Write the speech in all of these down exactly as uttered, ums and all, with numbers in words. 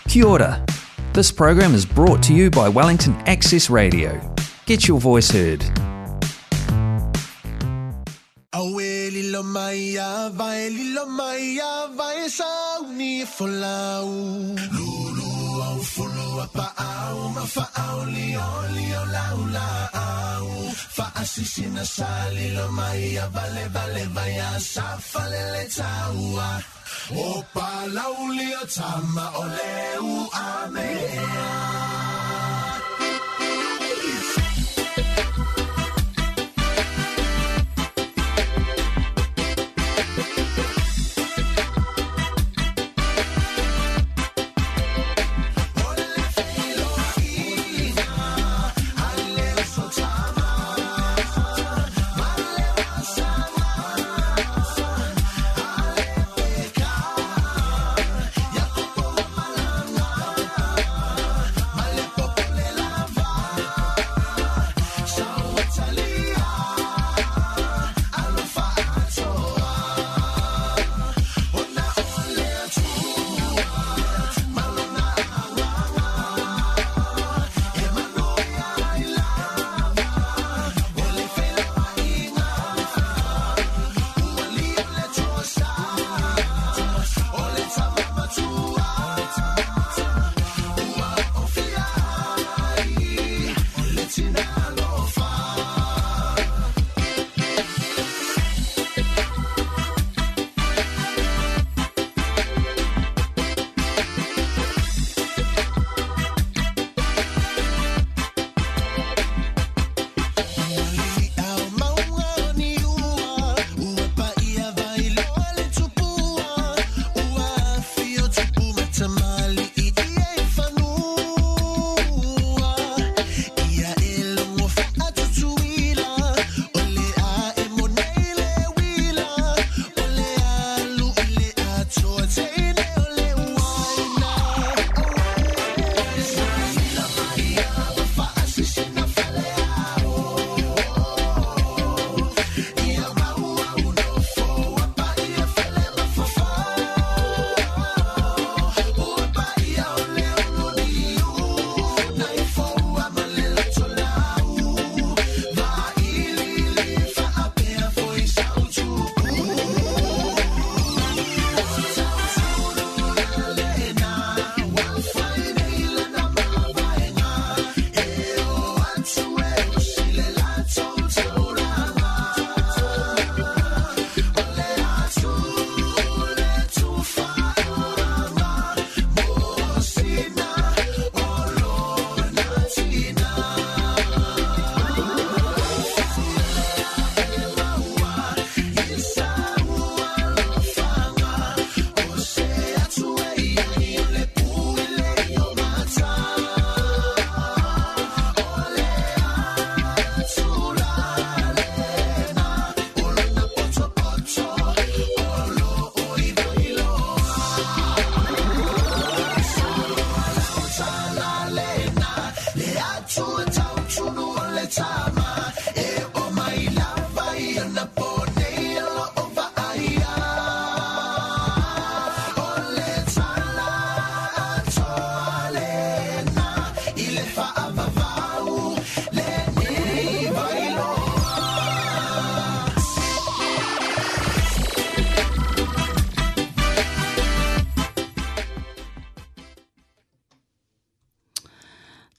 Kia ora. This program is brought to you by Wellington Access Radio. Get your voice heard. Awe lilo mai a vai lilo mai a vai sauni folau. Lulu au fulu a pa au ma fa au li o li o lau la au. Fa asisina sa lilo mai a vale vale vai a sa falele taua. O palau li o tama o leu a mea.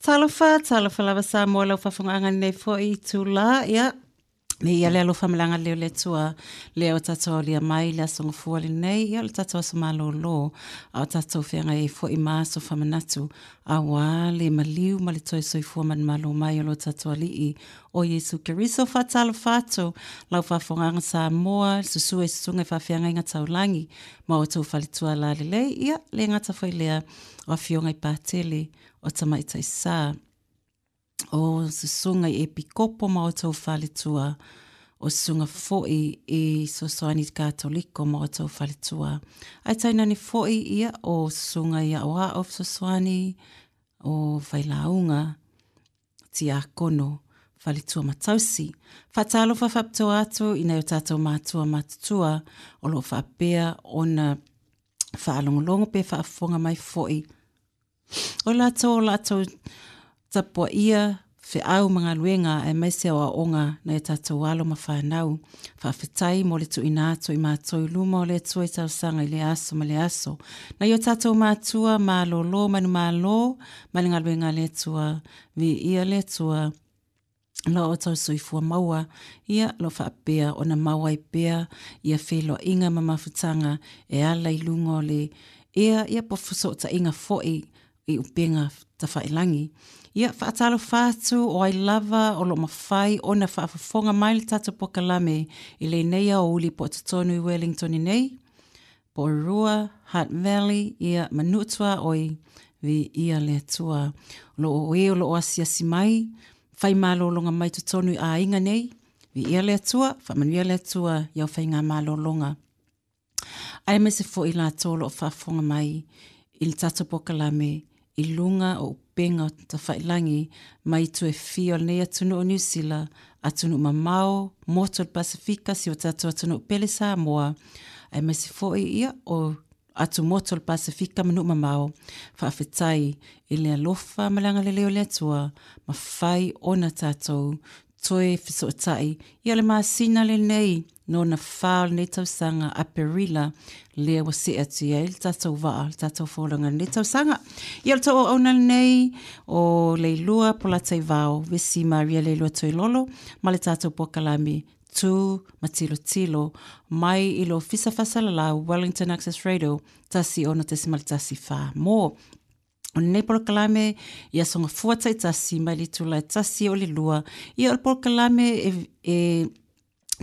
Talofa, talofa lava sa mo lau faafofogaga nei foi tula, ia. Me ia le alofa malaga leo le tua, le o tatou alia mai le aso gafua lenei, ia o le tatou aso malōlō, a o tatou feagai ai foi ma aso faamanatu, auā le maliu ma le toe soifua manumalo mai o lo tatou alii o Iesu Keriso. Faatalofa atu lau faafofogaga Samoa, susu e susuga i faafeagaiga taulagi ma outou faletua lalelei, ia le gata foi lea o afioga i Patele o Tamaitaisā, o susuga i Epikopo ma outou faletua, o susuga foi i Sosoani Katoliko ma outou faletua. Ae tainane foi ia o susuga i Aoao Fesoasoani, o Failauga, Tiakono, faletua matausi. Faatalofa faapitoa atu i nai o tatou matua matutua o loo faapea ona faalogologo pe faafofoga mai foi O latou o latou tapuaia feau ma galuega aemaise o aoaoga nai o tatou alo ma fanau. Faafetai mo le tuuina atu i matou i luma o le Atua i talosaga i lea aso ma le aso. Nai o tatou matua malolo manumalo ma le galuega a le Atua, viia le Atua lo outou soifua maua, ia lo faapea ona maua ai pea ia feiloaiga ma mafutaga e ala i luga o le ea ia po o fesootaiga foi i upega tafailagi. Ia faatalofa atu o ai lava o lo o mafai ona faafofoga mai le tatou polokalame i lenei aoauli po o totonu i Wellington nei, Porirua, Hutt Valley, ia ma Nuu Tuaoi, viia le Atua. O lo o e o lo o asiasi mai, fai malologa mai totonu i aiga nei, viia le Atua, faamanuia le Atua i au faiga malologa. Aemaise foi latou o lo o faafofoga mai i le tatou polokalame i luga o upega tafailagi mai itu e fia o lenei atunuu o Niu Sila, atunuu mamao, motu o le Pasefika, si o tatou atunuu pele Samoa, aemaise foi ia o atumotu o le Pasefika ma nuu mamao. Faafetai i le alofa ma le agalelei o le Atua, mafai ona tatou toe fesootai ia le masina lenei nona fa o lenei tausaga Aperila lea ua see atu i ai le tatou vaa, le tatou folauga i lenei tausaga. Ia o le tou auauna lenei o Leilua Polataivao, Vesi Maria Leilua Toilolo ma le tatou polokalame Tu ma Tilotilo mai i le Ofisa Faasalalau Wellington Access Radio tasi ono tesimale tasi fa mo. O lenei polokalame i aso gafua taitasi mai le itula e tasi o le lua. Ia o le polokalame e, e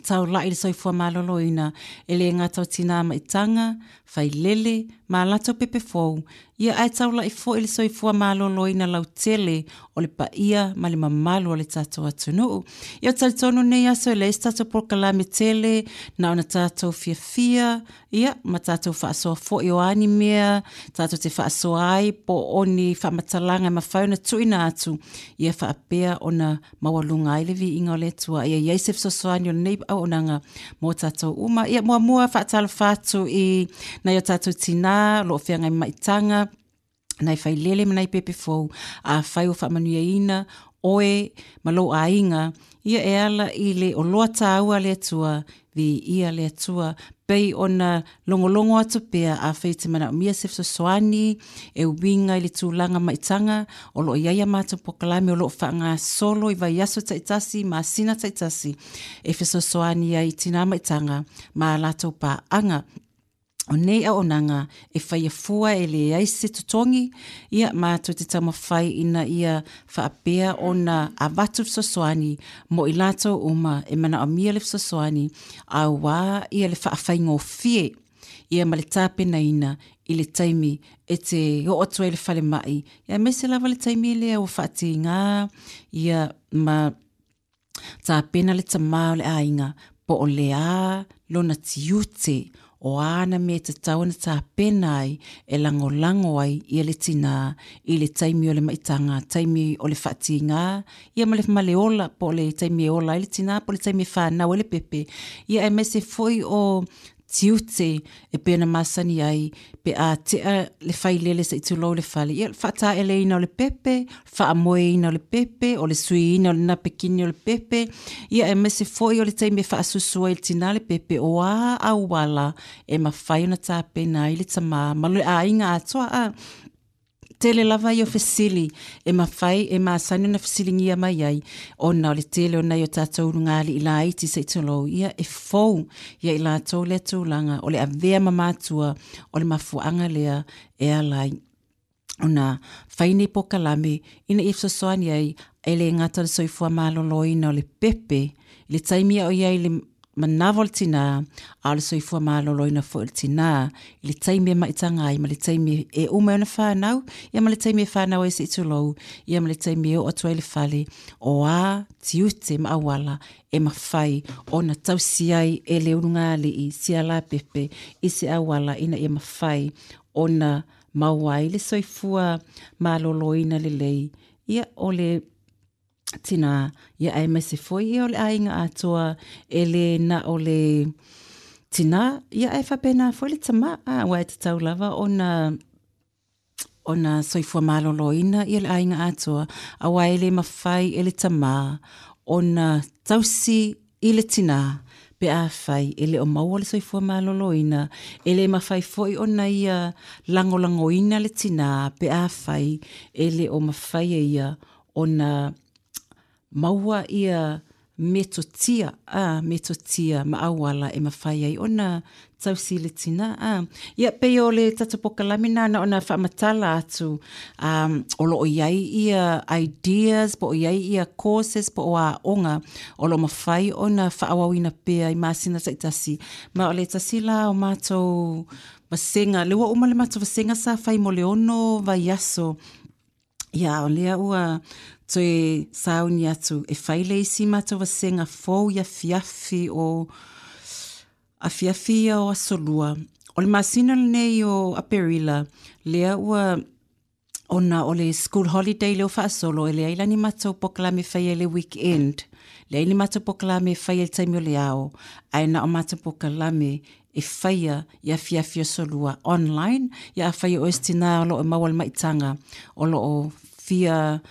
taulai le soifua maloloina e le gata o tinā maitaga, failele, ma latou pepe fou. Ia ae taulai foi le soifua maloloina lautele o le paia ma le mamalu o le tatou atunuu. Ia o talitonu nei aso e leai se tatou polokalame tele na ona tatou fiafia, ia ma tatou faasoa foi o a ni mea tatou te faasoa ai po o ni faamatalaga e mafai ona tuuina atu, ia faapea ona maualuga ai le viiga o le Atua. Ia i ai se fesoasoani o lenei auaunaga mo tatou uma. Ia muamua faatalofa atu i nai o tatou tinā o lo o feagai ma maitaga, nai failele ma nai pepe fou, afai ua faamanuiaina oe ma lou aiga, ia e ala i le oloa taua a le Atua, viia le Atua, pei ona logologo atu pea afai e te manaomia se fesoasoani e uiga i le tulaga maitaga o lo o i ai a matou polokalame o lo o faagasolo i vaiaso taitasi, masina taitasi, e fesoasoani ai i tinā maitaga ma a latou paaga. O nei auaunaga e faia fua e leai se totogi, ia matou te taumafai ina ia faapea ona avatu fesoasoani mo i latou uma e manaomia le fesoasoani, auā ia le faafaigofie ia ma le tapenaina i le taimi e te oo atu ai i le falemai, ia aemaise lava le taimi lea ua faatigā ia ma tapena le tamā o le aiga po o le a lona tiute o a ana mea e tatau ona tapena ai e lagolago ai ia le tinā i le taimi o le maitaga, taimi o le faatigā, ia ma le, ma le ola, po o le taimi e ola ai le tinā, po o le taimi e fanau ai le pepe, ia aemaise foi o tiute e pei ona masani ai pe a tea le failele se'i tulou le fale, ia le faataeleina o le pepe, faamoeina o le pepe, o le suiina o le napekini o le pepe, ia aemaise foi o le taimi e faasusu ai i le tinā le pepe, o a auala e mafai ona tapena ai le tamā ma le aiga atoa. A tele lava ia o fesili e mafai e masani ona fesiligia mai ai, ona o le tele o nai o tatou ulugalii laiti se'i tulou, ia e fou ia i latou lea tulaga o le avea ma matua o le mafuaaga lea e ala ai ona fai nei polokalame ina ia fesoasoani ai e le gata o le soifua maloloina o le pepe i le taimi a o i ai le manawa o le tinā, a o le soifua maloloina foi o le tinā i le taimi e maitaga ai ma le taimi e uma ai ona fanau, ia ma le taimi e fanau ai se'i tulou, ia ma le taimi e oo atu ai i le fale, o a tiute ma auala e mafai ona tausi ai e le ulugalii sialapepe i se auala ina ia mafai ona maua ai le soifua maloloina lelei ia o le tinā, ia aemaise foi ia o le aiga atoa e le na o le tinā, ia ae faapena foi le tamā, a, aua e tatau lava ona ona soifua maloloina ia le aiga atoa, aua e le mafai e le tamā ona tausi i le tinā pe afai e le o maua le soifua maloloina, e le mafai foi ona ia lagolagoina le tinā pe afai e le o mafai e ia ona maua ia metotia, a metotia ma auala e mafai ai ona tausi le tinā. A ia pei o le tatou pokalame na na ona faamatala atu, um, o loo iai ia ideas po o iai ia courses po o aoga o loo mafai ona faaauauina pea i masina taitasi. Ma o le tasi la o matou vasega le ua uma le matou vasega sa fai mo le ono vaiaso. Ia o lea ua toe sauni atu e fai le isi matou vasega fou i afiafi o afiafi ia o aso lua. O le masina lenei o Aperila, lea ua ona o le school holiday leo faasolo, e leai la ni matou pokalame faia i le weekend. Leai ni matou pokalame faia i le taimi o le ao, ae na o matou pokalame e faia i afiafi o aso lua online. Ia afai o oe se tinā o loo e maua le maitaga o loo fia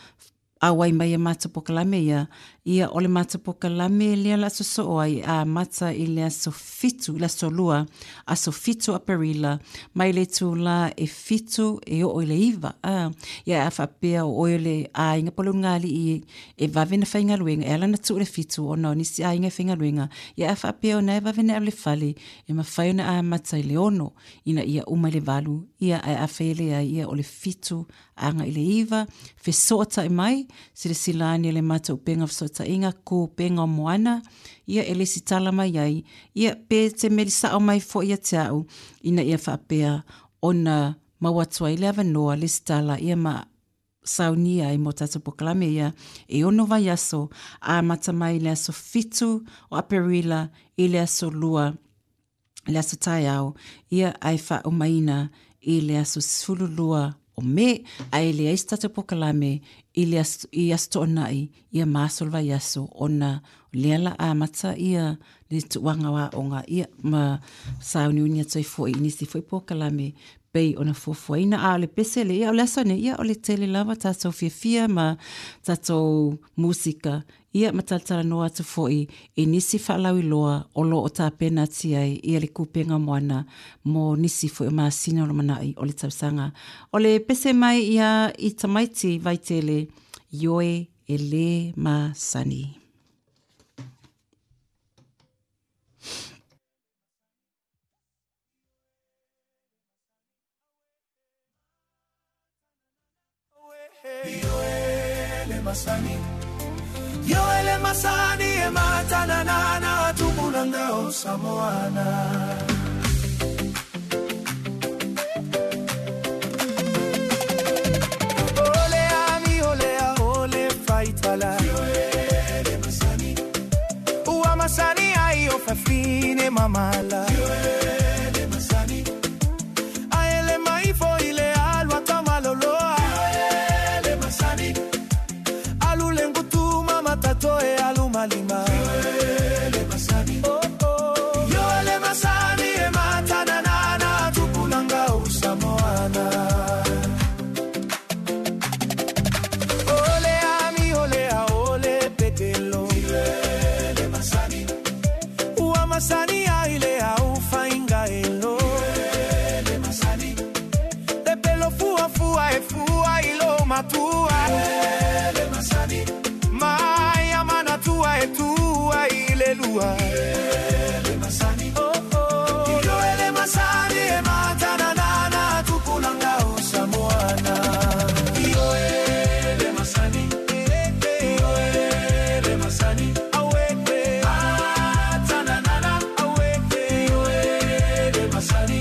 auai mai e matou pokalame ia, ia o le matou pokalame lea la sosoo ai a mata i le aso fitu, le aso lua, aso fitu Aperila, mai le itulā e fitu e oo i le iva. A, ia a faapea o oe o le aiga po o le ulugalii e vave na faigaluega, e ala ona tuu le fitu ona o nisi aiga e faigaluega. Ia a faapea ona e vave na alu i le fale, e mafai ona amata i le ono, ina ia uma i le valu, ia ae afai e leai ia o le fitu agai i le iva, fesootai mai, silasila ane le matou upega o fesootaiga, ku upega o Moana, ia e lesitala mai ai, ia pe te meli sao mai foi ia te au, ina ia faapea ona maua atu ai le avanoa lesitala ia ma saunia ai mo tatou pokalame ia e ono vaiaso, amata mai le aso fitu o Aperila i le aso lua, le aso taeao, ia ae faaumaina i le aso sefulu lua o Me, ae leai se tatou pokalame i le aso, i aso toonai, ia ma aso o le vaiaso, ona lea la amata ia le tuuaga o aoga, ia ma sauniuni atu ai foi i nisi foi pokalame pei ona fuafuaina. A o le pese le, ia o le aso nei, ia o le tele lava tatou fiafia ma tatou musika, ia ma talatalanoa atu foi i nisi faalauiloa o loo tapena ati ai ia le Kupenga Moana mo nisi foi o masina o lumanai o le tausaga. O le pese mai ia i tamaiti Vaitele, Ioe e le masani. Ioe le masani, Ioe le masani e matananana tupulanga o Samoana. Ole ami, ole a, ole faitala. Ioe le masani, ua masani ai o fafine mamala. Ioe le masani, aele maifo ile alua tamaloloa. Ioe le masani, alu lengutu mama tatoe alu malima. Ioe le masani, oh oh. Ioe le masani e matananana tupulanga o Samoana. Ole ami, ole a, ole petelo. Ioe le masani, ua masani aile au fainga elo. Ioe le masani, te pelo fua fua e fua ilo matua. Ioe le masani, mai amana tua e tua ile lua. Ioe le masani, oh oh. Ioe le masani e matananana tupulanga o Samoana. Ioe le masani, Ioe le masani, awete atananana, awete. Ioe le masani,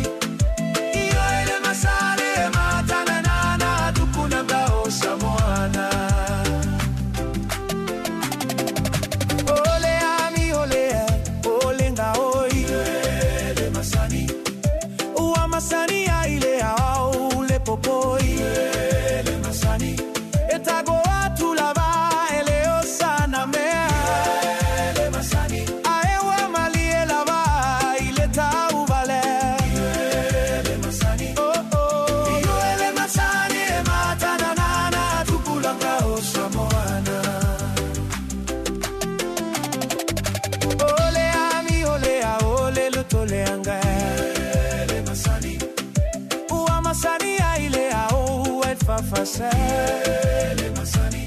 Ioe le masani e matananana tupulanga o Samoana. Ole ami, ole a, ole nga oi. Ioe le masani, ua masani aile au le popoi. Ioe le masani, e tago atu lava ele o sana mea. Ioe le masani, aewa malie lava ile tau vale. Ioe le masani, oh oh. Ioe le masani Fase masani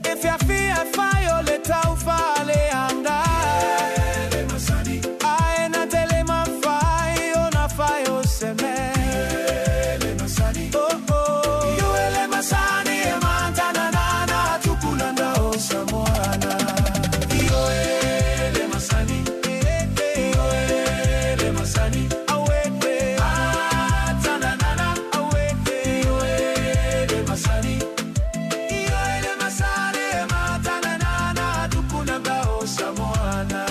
e fia fia fai o le tau fale anga le masani ae na tele ma fai o na fai o se me le masani oh oh yo ele masani e mantana na na tupulanda o Samoana yo ele masani yo ele masani awe atana na na awe yo ele masani yo ele masani e mantana na na tupulanda o Samoana.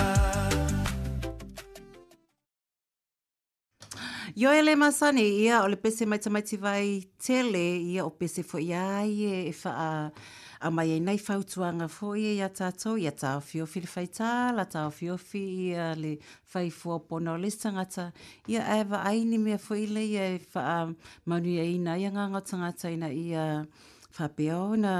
Yo ele masani ia o le pese mai tamaiti vai tele ia o pese fo ia ai e wha a mai ai nei fautuanga fo ia ia tātou ia tā fiofi le whaitā la tā fiofi ia le whaifua pono o le tangata ia e wa ai ni mea fo ile ia e wha manuia ina ia ngā ngā tangata ina ia whapea na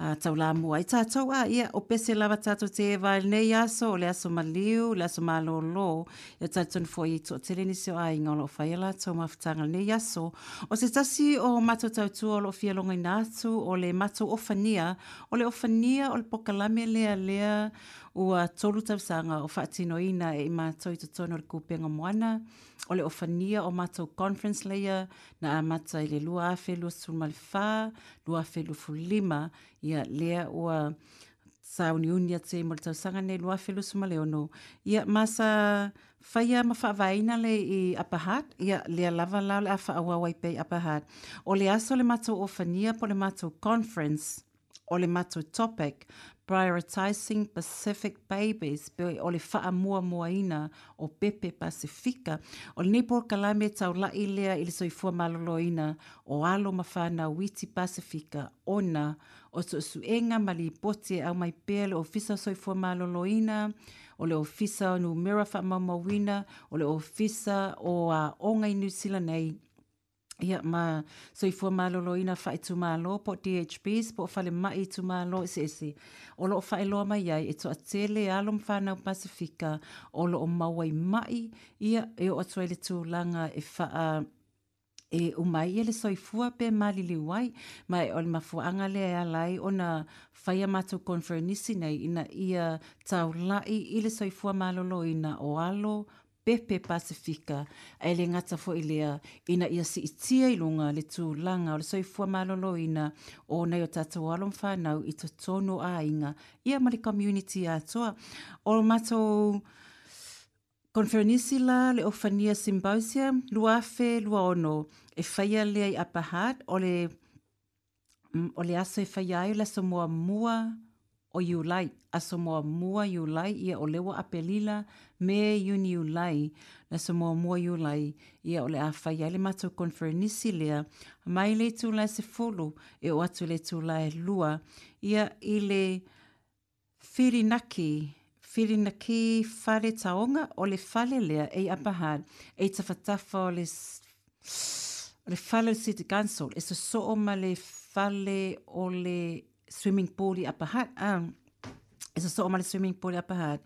Uh, taulamu ai tātou a ia o pese lava tātou te vai nei aso o le aso maliu le aso malolo ia tātou fo i to tele nisi o ai ngā lo whaia lātou mafutanga nei aso o se tasi o matou tautua o lo fia longa ina atu o le matou ofania o le ofania o le pokalame lea lea ua tolu tausanga o whaatinoina e i mātou i totonu o le kupenga moana o le ofania o mātou conference leia na amata i le lua afe lua sulmale whā, lua afe lua fulima, ia lea ua sauniuni ate mo le tausaga nei lua afe lua sumale ono. Ia masa whaia ma whaavaina le i Upper Hutt, ia lea lava lao le a whaawawai pei Upper Hutt. O le aso le mātou ofania po le mātou conference, o le mātou topic, Prioritizing Pacific Babies, pe o le whaamuamuaina o Pepe Pasifika. O le nei polokalame taulai lea i le soifua maloloina o alo ma whanau witi Pasifika ona o suesuega ma lipoti e au mai pea le ofisa o soifua maloloina, o le ofisa o numera whaamaumauina, o le ofisa o aoga i New Zealand nei. Ia ma soifua maloloina whaetumalo po D H Bs po whale mai tumalo ese ese. O lo o whaeloa mai ai e toa tele alo mwhanau Pasifika o lo o mauai mai ia e o atu ai le tūlanga e whaa e umai e le soifua pe maliliu ai mai o le mafuaanga lea e ala ai ona whaia mātou konferenisi nei ina ia taulai i le soifua maloloina o alo Pepe Pasifika e le ngata fo i lea ina ia siitia i lunga le tūlanga o le soifua maloloina o nei o tātou alo mwhanau i totonu a inga ia ma le community atoa. O mātou konferenisi la le Ofania Symposium lua afe lua ono e whaia lea i Upper Hutt o le, o le aso e whaia ai o le aso mua mua o Iulai, aso mua mua Iulai, ia o lewa Apelila, me Iuni Iulai, aso mua mua Iulai, ia o le a whai ai le mātou konferenisi lea, mai le tūlai se fulu, e o atu le tūlai lua, ia i le whirinaki, whirinaki whare taonga o le whale lea e Upper Hutt, e tawhatafa o le, o le whale o le City Council, e sosoo ma le whale o le swimming pool i Upper Hutt. Um, e sosoo ma le swimming pool i Upper Hutt.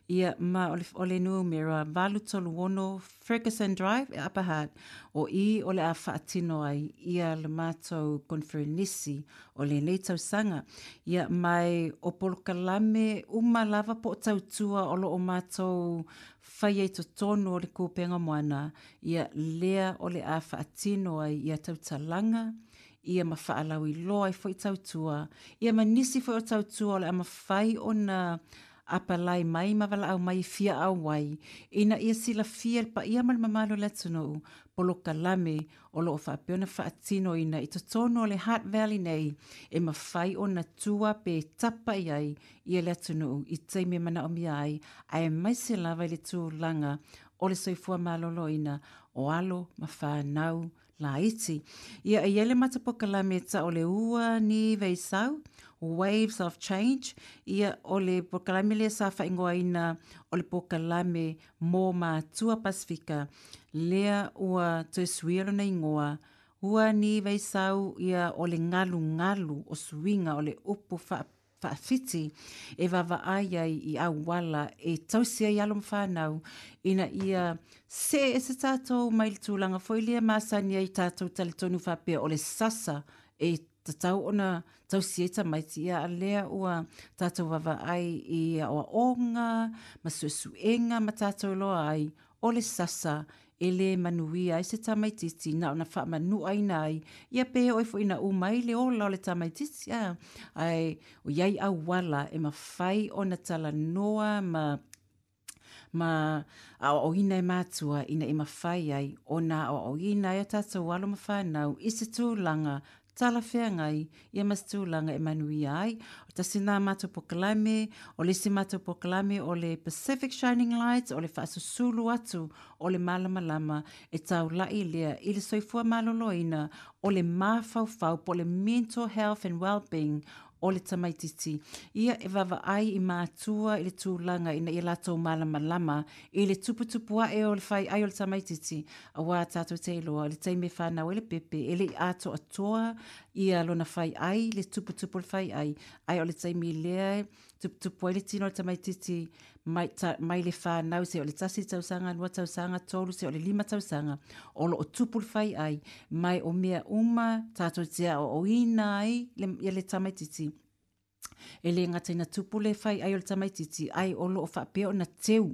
Ia ma o le, o le numera valu tolu ono Ferguson Drive e Upper Hutt. O i o le a whaatino ai ia le mātou konferenisi o le nei tausaga. Ia mai o polokalame uma lava po o tautua o lo o mātou whai ai totonu o le kūpenga moana. Ia lea o le a whaatino ai ia tautalanga ia ma whaalau i loa i fo i tautua. Ia ma nisi fo i tautua o le ama whai o na apalai mai ma wala au mai fia au wai. Ina ia sila fia pa ia ma le mamalo le atunuu polokalame o lo o whaapea whaatino ina i totonu o le Hutt Valley nei e mawhai o na tua pe tapa i ai ia le atunuu i teime mana o mia ai ae mai se lava i le tūlanga o le soifua maloloina o alo ma whanau laiti. Ia e iele matapokalame ta o le ua ni veisau, Waves of Change, ia o le pokalame lea sa whaingoaina o le pokalame mō mātua Pasifika, lea ua toe suia lona ingoa, ua ni veisau ia o le ngalu ngalu o suinga o le upu wha whaafiti e vavaai ai i auala e tausia i alo mwhanau ina ia se e se tātou mai le tūlanga foi lea masani ai tātou talitonu whapea o le sasa e tatau ona tausia ai tamaiti. Ia a lea ua tatou vaavaai i aoaoga ma suesuega ma tatou iloa ai o le sasa e lē manuia ai se tamaititi na ona faamanuaina ai ia pe oo ai foi ina uma ai le ola o le tamaititi a ae o iai auala e mafai ona talanoa ma ma aoaoina e matua ina ia mafai ai ona aoaoina ai o tatou alo ma fanau i se tulaga talafeagai ia ma se tulaga e manuia ai. O tasi lena matou polokalame, o le isi matou polokalame o le Pacific Shining Lights, o le faasusulu atu o le malamalama e taulai lea i le soifua maloloina o le mafaufau po o le mental health and well-being o le tamaititi. Ia e vaavaai i matua i le tulaga ina ia latou malamalama i le tuputupu ae o le faiai o le tamaititi auā tatou te iloa i le taimi e fanau ai le pepe e lei atoatoa ia lona faiai le tuputupu o le faiai ae o le taimi lea e tuputupu ai le tino o le tamaititi mai, ta, mai le fanau se o le tasi tausaga, lua tausaga, tolu se o le lima tausaga o loo tupu le faiai mai o mea uma tatou te aoaoina ai le, ia le tamaititi. E lē gata ina tupu le faiai o le tamaititi ai o loo faapea ona teu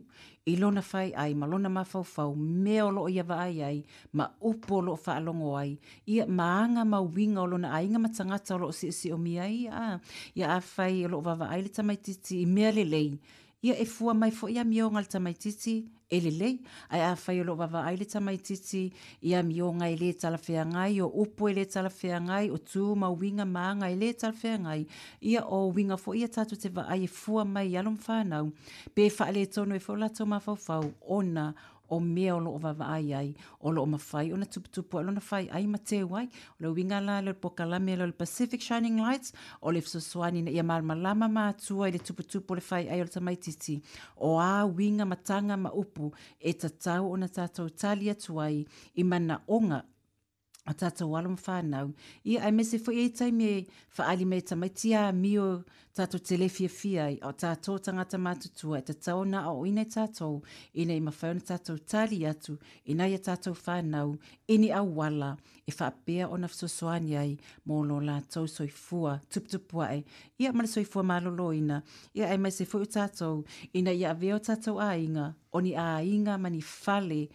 i lona faiai ma lona mafaufau mea o loo ia vaai ai ma upu o loo faalogo ai ia ma aga ma uiga o lona aiga ma tagata o loo siosiomia ai a ia afai o loo vaavaai le tamaititi i mea lelei ia e fua mai foi amioga a le tamaititi e lelei ae afai o loo vaavaai le tamaititi i amioga e lē talafeagai o upu e lē talafeagai o tu ma uiga ma aga e lē talafeagai ia o uiga foi ia tatou te vaai e fua mai i alo ma fanau pe faaletonu ai foi o latou mafaufau ona o mea o loo vaavaai ai o loo mafai ona tuputupu ai lona faiai ma teu ai. O le uiga la lea o le polokalame lea o le Pacific Shining Lights o le fesoasoani ina ia malamalama matua i le tuputupu o le faiai o le tamaititi o a uiga ma taga ma upu e tatau ona tatou tali atu ai i manaoga o tatou alo ma fanau. Ia aemaise foi ai taimi e faaali mai e tamaiti amio tatou te le fiafia ai o tatou tagata matutua e tatau ona aoaoina i tatou ina ia mafai ona tatou tali atu ina ia tatou fanau i ni auala e faapea ona fesoasoani ai mo lo latou soifua tuputupu ae ia ma le soifua maloloina. Ia aemaise foi o tatou ina ia avea o tatou aiga o ni aiga ma ni fale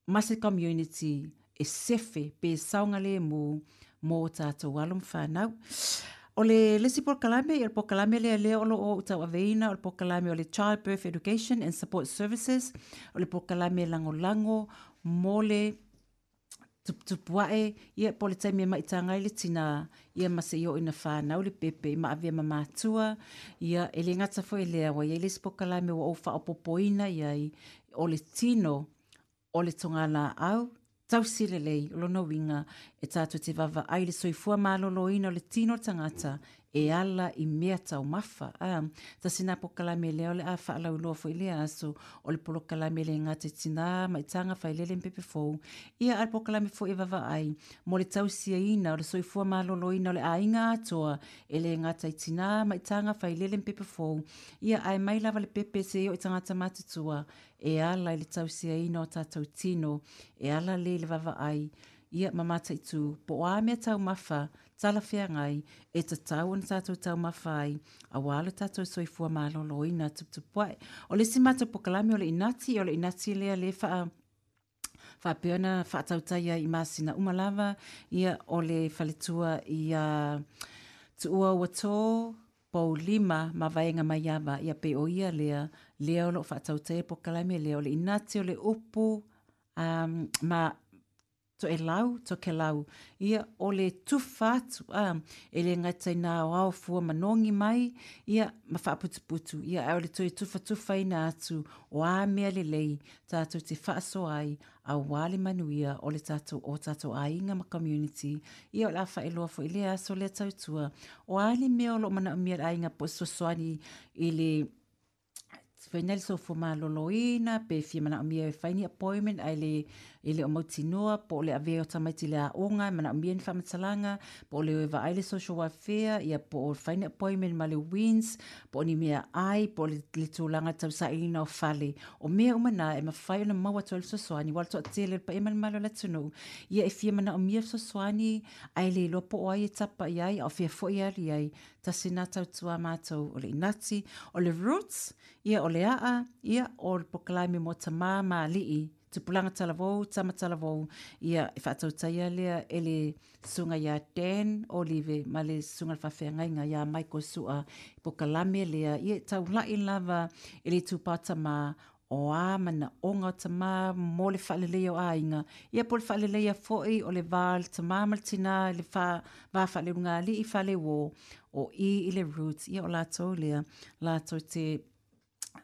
ma se community e sefe pe saogalemu mo tatou alo ma fanau. O le isi polokalame, o le polokalame lea lea o loo ou tauaveina, o le polokalame o le Childbirth Education and Support Services, o le polokalame lagolago mo le tuputupu ae ia po o le taimi e maitaga ai le tinā ia ma seia oo ina fanau le pepe ma avea ma matua ia e lē gata foi lea ua iai le isi polokalame ua ou faaopopoina iai o le tino o le togalaau tausi lelei. O lona uiga e tatou te vaavaai i le soifua maloloina o le tino o le tagata e ala i mea taumafa a tasi na polokalame lea o le a faalauiloa foi lea aso o le polokalame le gata i tinā maitaga failele ma pepe fou ia a le polokalame foi e vaavaai mo le tausiaina o le soifua maloloina o le aiga atoa e lē gata i tinā maitaga failele ma pepe fou ia ae mai lava le pepe seia oo i tagata matutua e ala i le tausiaina o tatou tino e ala lea i le vaavaai ia ma mataitu po o a mea taumafa talafeagai e tatau ona tatou taumafa ai auā lo tatou soifua maloloina tuputupu ae. O le isi matou polokalame o le inati, o le inati lea lē faa faapea ona faatautai ai i masina uma lava ia o le faletua ia Tuua ua tō Poulima ma Vaega Maiava ia pe o ia lea lea o loo faatautaia polokalame lea o le inati o le upu um, ma Toelau, Tokelau ia o le tufa atu a e lē gata ina aoao fua manogi mai ia ma faaputuputu ia ae o le toe tufatufaina atu o a mea lelei tatou te faasoa ai auā le manuia o le tatou o tatou aiga ma community. Ia o le a faailoa foi lea aso lea tautua o a le mea o loo manaomia e le aiga po o fesoasoani i le faina le soifua maloloina pe fia manaomia e fai ni appointment ae le e le o mautinoa, po o le avea o tamaiti i le aoga, e manaomia ni faamatalaga, po o le o e vaai le social welfare, ia po o fai ni appointment ma le WINZ, po o ni meaai, po o le, le tulaga tausailiga o fale. O mea uma na e mafai ona maua atu ai le fesoasoani, aua o le toatele o le paia ma le mamalu o le atunuu, ia e fia manaomia fesoasoani, ae le iloa po o ai e tapa i ai, a o fea foi e alu i ai. Tasi lena tautua matou o le inati, o le roots, ia o le aa, ia o le polokalame mo tamā ma alii, tupulaga talavou, tama talavou, ia e faatautaia lea e le susuga ia Dan Olive ma le susuga i le faafeagaiga ia Michael Sua, polokalame lea, ia e taulai lava e le itupa o tamā, o a manaoga o tamā mo le faaleleia o aiga, ia po o le faaleleia foi o le va o le tamā ma le tinā, le fa, va faaleulugalii faleuō, o i i le roots, ia o latou lea, latou te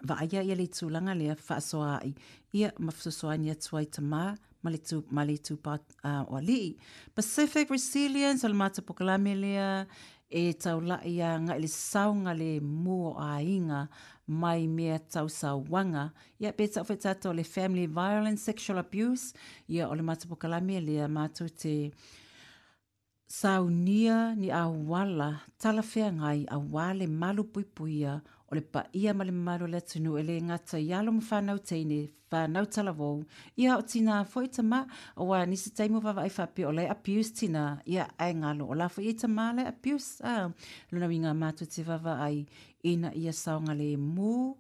vaaia ia le tulaga lea faasoaai, ia ma fesoasoani atu ai tamā ma le tu, ma le itupa uh, o alii. Pacific Resilience, o le matou polokalame lea, e taulai agai i le saogalemu o aiga mai mea tausauaga. Ia pe tau foi tatou o le family violence, sexual abuse, ia o le matou polokalame lea matou te saunia ni auala talafeagai auā le malupuipuia o le paia ma le mamalu o le atunuu e le gata i alo ma fanau teine, fanau talavou, ia o tinā foi tamā, aua nisi taimi ua vaavaai faapea o la e abuse tinā, ia ae galo o la foi e tamā la e abuse. A, lona uiga matou te vaavaai ina ia saogalemu,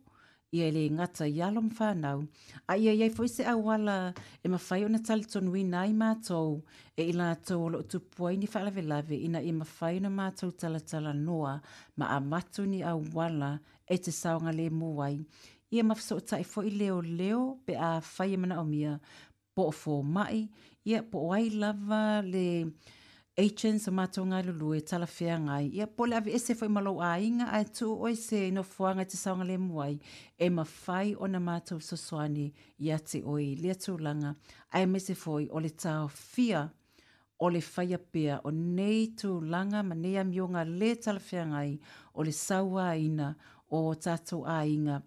ia e le gata i alo ma fanau, a ia iai foi se auala e mafai ona talitonuina ai matou e i latou o loo tupu ai ni faalavelave, ina ia mafai ona matou talatalanoa ma avatu ni auala e te saogalemu ai. Ia ma fesootai foi leoleo pe afai e manaomia, po o fomai, ia po o ai lava le agents o matou galulue talafeagai, ia po o le aveese foi ma lou aiga ae tuu oe i se nofoaga e te saogalemu ai, e mafai ona matou fesoasoani ia te oe i lea tulaga, aemaise foi o le taofia o le faia pea o nei tulaga ma nei amioga le talafeagai o le sauaina o tatou aiga,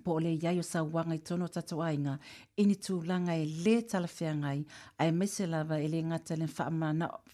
po o le iai o sauaga i totonu o tatou aiga i ni tulaga e le talafeagai, aemaise lava e le gata i le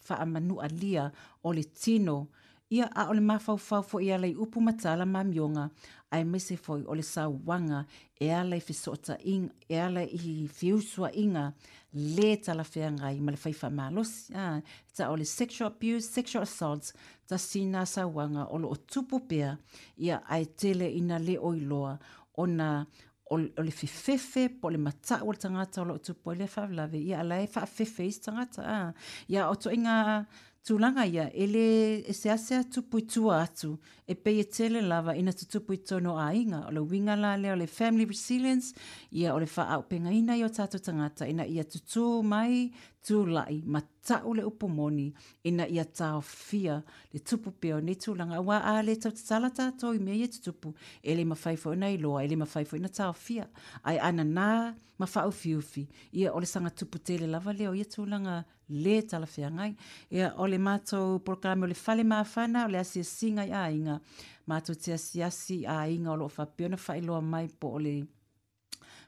faamanualia o le tino, ia a o le mafaufau foi e ala i upu ma tala ma amioga, aemaise foi o le sauaga e ala i fesootaiga, e ala i feusuaiga le talafeagai ma le fai faamalosi. Ah, ta o le sexual abuse, sexual assaults, tasi lena sauaga o loo tupu pea, ia ae tele ina le o iloa ona o le fefefe po o le matau o le tagata o loo tupu ai lea faalavelave, ia a la e faafefe isi tagata. Ah, ia o ituaiga tulaga ia e le e seasea tupu i tua atu, e pei e tele lava ina tutupu i totonu o aiga. O le uiga la lea o le family resilience, ia o le faaaupegaina ia o tatou tagata ina ia tutū mai tulai matau le upu moni, ina ia taofia le tupu pea o nei tulaga, aua a le tautatala tatou i mea ia tutupu, e le mafai foi ona iloa, e le mafai foi ona taofia, ae a nanā ma faaufiufi, ia o le saga tupu tele lava lea o ia tulaga le talafeagai. Ia o le matou polokalame o le fale mafana, o le asiasiga i aiga, matou te asiasi i aiga o loo faapea ona faailoa mai, po o le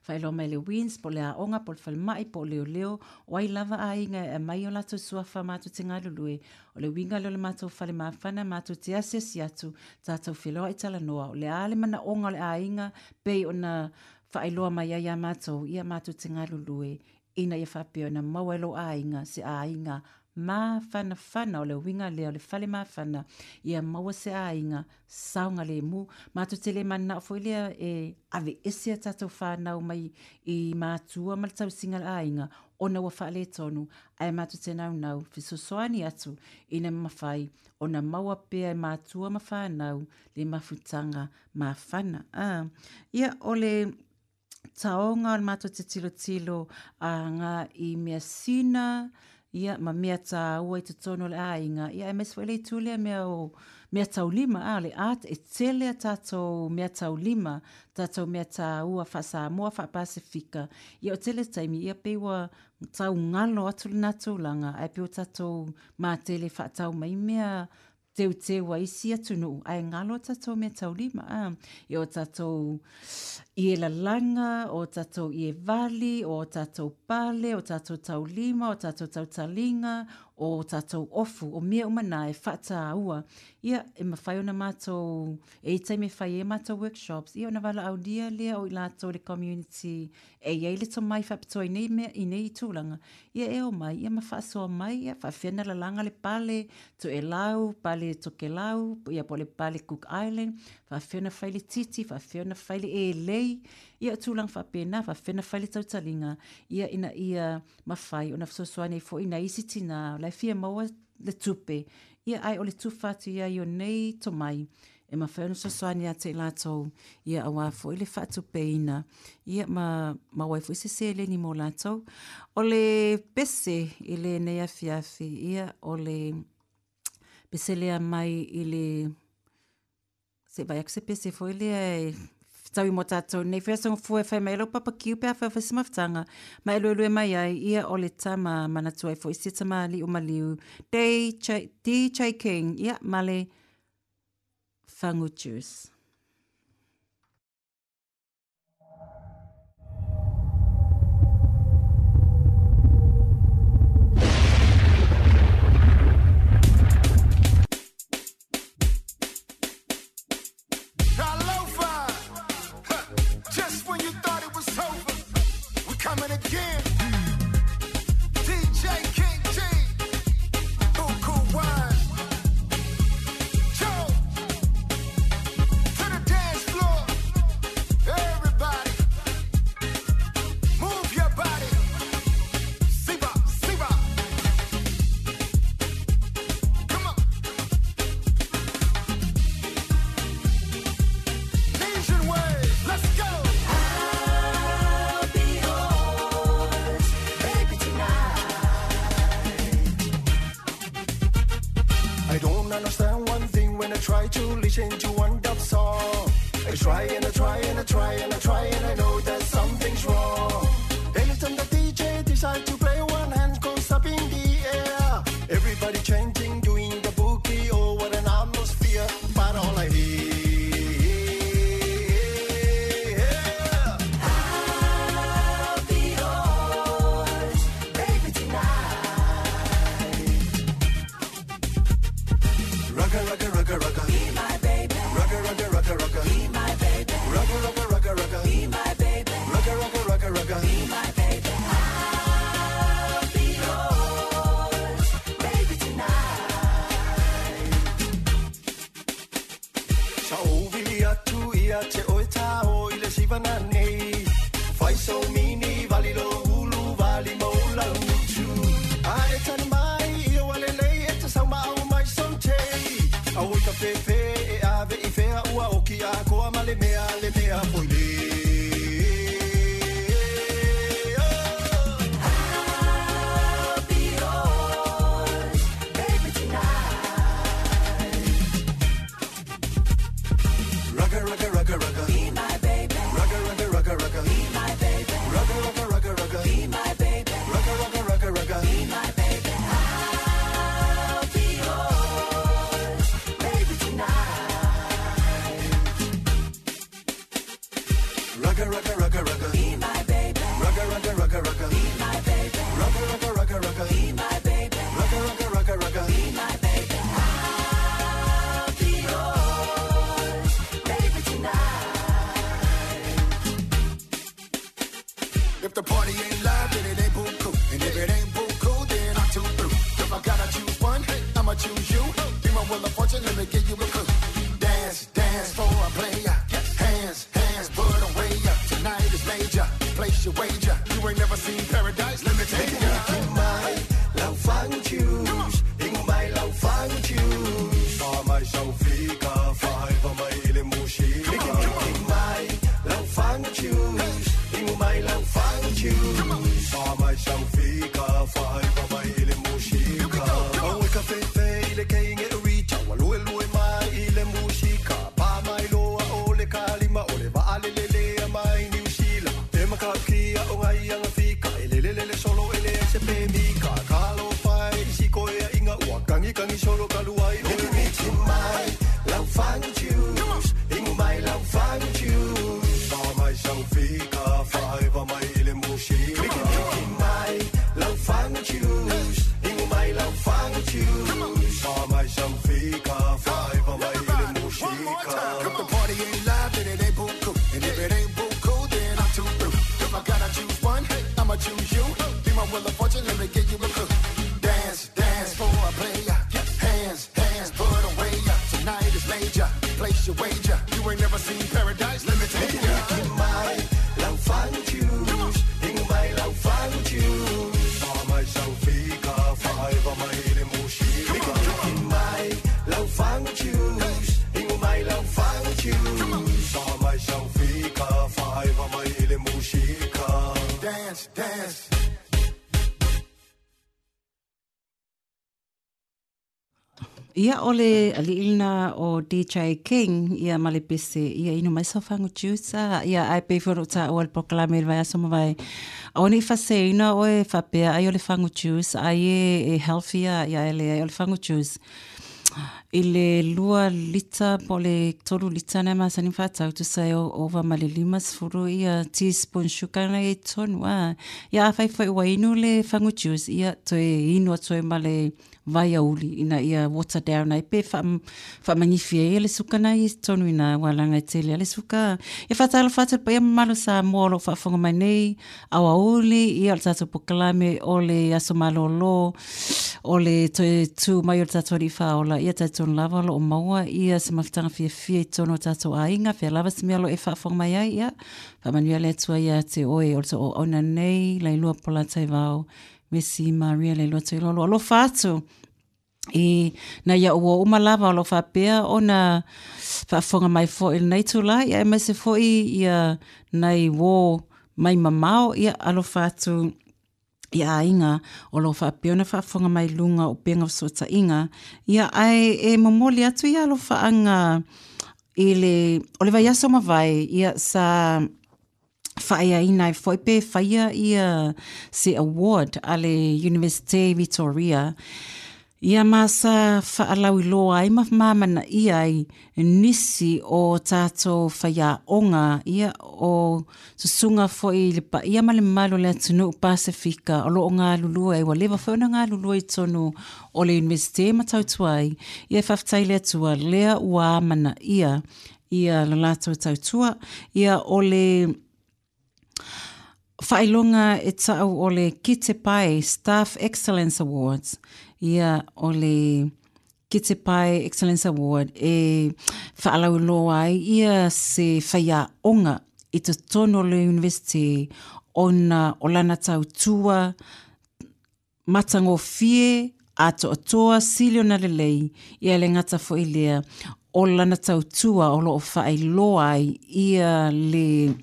faailoa mai le WINZ, po o le aoga, po o le falemai, po o leoleo, o ai lava aiga e aumai o latou suafa matou te galulue. O le uiga lea o le matou fale mafana, matou te asiasi atu, tatou feloai talanoa, o le a le manaoga o le aiga pei ona faailoa mai ai ia matou, ia matou te galulue ina ia faapea ona maua e lou aiga se aiga mafanafana. O le uiga lea o le fale mafana, ia maua se aiga saogalemu. Matou te le mananao foi lea e aveese a tatou fanau mai i matua ma le tausiga o le aiga ona ua faaletonu, ae matou te naunau fesoasoani atu ina mafai ona maua pea e matua ma fanau le mafutaga mafana. Ah, ia o le taoga o le matou te tilotilo aga i measina, ia ma mea tāua i totonu o le aiga, ia aemaise foi le itu lea mea o mea taulima, a le art, e tele a tatou mea taulima, tatou mea tāua faa-Samoa, faa-Pasifika, ia o tele taimi, ia pei ua taugalo atu lena tulaga, ae pei ua tatou matele faatau mai mea teuteu a isi atunuu, ae galo tatou mea taulima. A, ia o tatou I e lalanga, o tātou i e vali, o tātou pale, o tātou taulima, o tātou tautalinga, o tātou ofu, o mea umana e whataua. Ia, e mawhai ona mātou, e i taime whai e mātou workshops, ia ona wala au lia lea o i lātou le community, e iei le to mai whapitoa i nei mea, i nei tūlanga. Ia e o mai, ia mawhaasoa mai, ia whawhena lalanga le pale, to e lau, pale to ke lau, ia po le pale Cook Island, whawhena whai le titi, whawhena whai le e lei, ia tūlanga whapena, whawhena whai le tautalinga, ia ina ia mawhai, ona whasosoane fo ina isi tina, lai fia maua le tupe, ia ai o le tūwhatu ia i o nei to mai, e mawhai ona sosoane ate i lātou, ia awa fo i le whaatupeina, ia ma, ma wai fo i se seleni mō lātou. O le pese i le nei afiafi, ia o le pese lea mai i le, se vai aku se pese fo i lea e tau i mō tātou nei whia songa fua e whai mai lau papa kiu pea whai whai mawhtanga ma e luelue mai ai ia o le tama manatua i fo i se tama li o maliu D J King ia male Fangu Juice. Coming again, D J King G, Buku Wine, Joe, to the dance floor, everybody, move your body, Siba, Siba, come on, Nation Wave, let's go. I don't understand one thing when I try to listen to one dub song. I try and I try and I try and I try and I know that something's wrong. Anytime the D J decides to play, one hand goes up in the air. Everybody chanting, doing the boogie, oh what an atmosphere. But all I hear, I'll be yours, baby, tonight. Rugga, rugga, rugga, rugga. Be my baby. Rugga, rugga, rugga, rugga. Be my baby. Rugga, rugga, rugga, rugga. Be my baby. Rugga, rugga, rugga, rugga. Be my baby. I'll be yours, baby, tonight. Sa ovili atu ia te oe tao i le sivana nei. Fai so mini vali lo ulu vali mo la utu. A e tani mai ia wale lei e te sau mao mai so te. A oi ka fefe e ave i fea ua oki a koa ma le mea le mea foi le. I'll be yours, baby, tonight. Rugga, rugga, rugga, rugga. Be my baby. Rugga, rugga, rugga, rugga. Be my baby. Rugga, rugga, rugga, rugga. Be my baby. Rugga, rugga, rugga, rugga. Be my baby. I'll be yours, baby, tonight. Rugga, rugga, rugga, rugga. Be my baby. Rugga, rugga, rugga, rugga. Be my baby. Rugga, rugga, rugga, rugga. Be my baby. Rugga, rugga, rugga, rugga. Be my baby. I'll be yours, baby, tonight. If the party ain't live, then it ain't buku. And if it ain't buku, then I'm too through. If I gotta choose one, I'ma choose you. Be my wheel of fortune, let me give you a clue. Dance, dance for a player. Hands, hands, put 'em way up. Tonight is major. Place your wager. You ain't never seen paradise, let me take ya. Mai lau fangu choose, ingu mai lau fangu choose. Fa mai sau fika, fa fa mai le mushi. Mai lau fangu choose, ingu mai lau fangu choose. Fa mai sau fika, fa fa mai le mushi. Au e ka fe fe le keinge e rita, wa lue lue mai Ia o le ali'i lena o D J King ia ma le pese ia inu mai sau fagu juice a ia ae pei foi ona ou taua i le polokalame i le vaiaso mavae aua nei faaseseina oe faapea ai o le fagu juice ai e, e healthy a ia e leai o le fagu juice i le lua lita po o le tolu lita na e masani ona faatau tusa ai ova ma le lima sefulu ia teaspoon sugar na i ai totonu a ia afai foi ua inu le fagu juice ia toe inu atu ai ma le vaiauli ina ia water down ai pe faamanifi ai le suka na i totonu ina ua laga e tele le suka. E faatalofa atu i le paia mamalu o Samoa o lo o faafofoga mai nei aoauli ia o le tatou polokalame o le aso malolo o le toe tu mai o le tatou alii faaola ia talitonu lava o lo o maua ia se mafutaga fiafia i totonu o tatou aiga fea lava se mea o lo o e faafofoga mai ai ia faamanuia le Atua ia te oe o le toauauna nei Lailua Polataivao Mesi Maria Lailua Tuilolo alofa atu i nai au ua uma lava o lo o faapea ona faafofoga mai foi i lenei itulā ia aemaise foi ia nai uō mai mamao ia alofa atu i aiga o lo o faapea ona faafofoga mai i luga o upega o fesootaiga ia ae e momoli atu ia alofaaga i le o le vaiaso mavae ia sa faaeaina ai foi pe faia ia se award a le Universite Victoria ia ma sa faalauiloa ai ma mamanaia ai nisi o tatou faiaoga ia o susuga foi i le paia ma le mamalu o le atunuu Pasefika o lo o galulue ai ua leva foi ona galulue i totonu o le Universite ma tautua ai ia e faafetai i le Atua lea ua amanaia ia le latou tautua ia o le faailoga e tau o le Kite Pai Staff Excellence Awards ia o le Kite Pai Excellence Award e faalauiloa ai ia se faiaoga i totonu o le Universite ona o lana tautua matagofie atoatoa sili ona lelei ia le gata foi lea o lana tautua o lo o faailoa ai ia le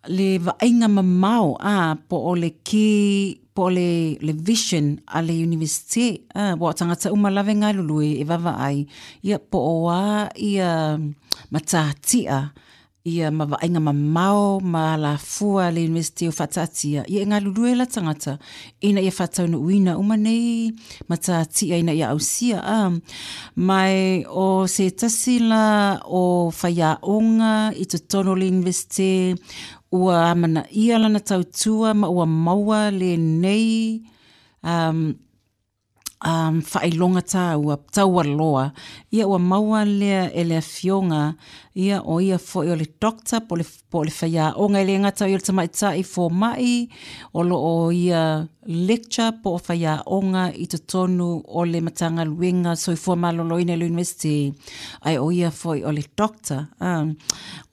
le vaaiga mamao a po o le key po o le, le vision a le Universite a ua o tagata uma lava e galulue e vaavaai ia po o a ia matatia ia ma vaaiga mamao ma alafua a le Universite o faataatia ia e galulue la tagata ina ia faataunuuina uma nei matatia ina ia ausia a mai o se tasi la o faiaoga i totonu o le Universite ua amanaia lana tautua ma ua maua lenei um, um, faailoga taua taualoa ia ua maua lea e le afioga ia o ia foi o le doctor po o le, po o le faiaoga e le gata o ia o le tamaitai foma'i o lo o ia lecture po o faiaoga i totonu o le Matagaluega Soifua Maloloina i le Universite ae o ia foi o le doctor um,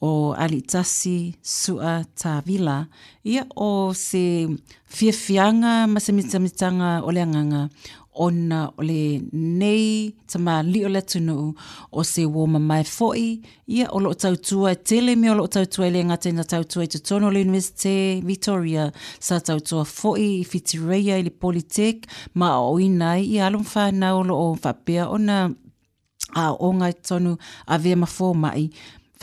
o Aliitasi Su'a Tavila ia o se fiafiaga ma se mitamitaga o le agaga ona o lenei tamalii o le atunuu o se uō mamae foi ia o lo o tautua e tele mea o lo o tautua e le gata ina tautua i totonu o le Universite Victoria sa tautua foi i Whitireia i le Polytech ma aoaoina ai ia alo ma fanau o lo o faapea ona aooga i totonu avea ma foma'i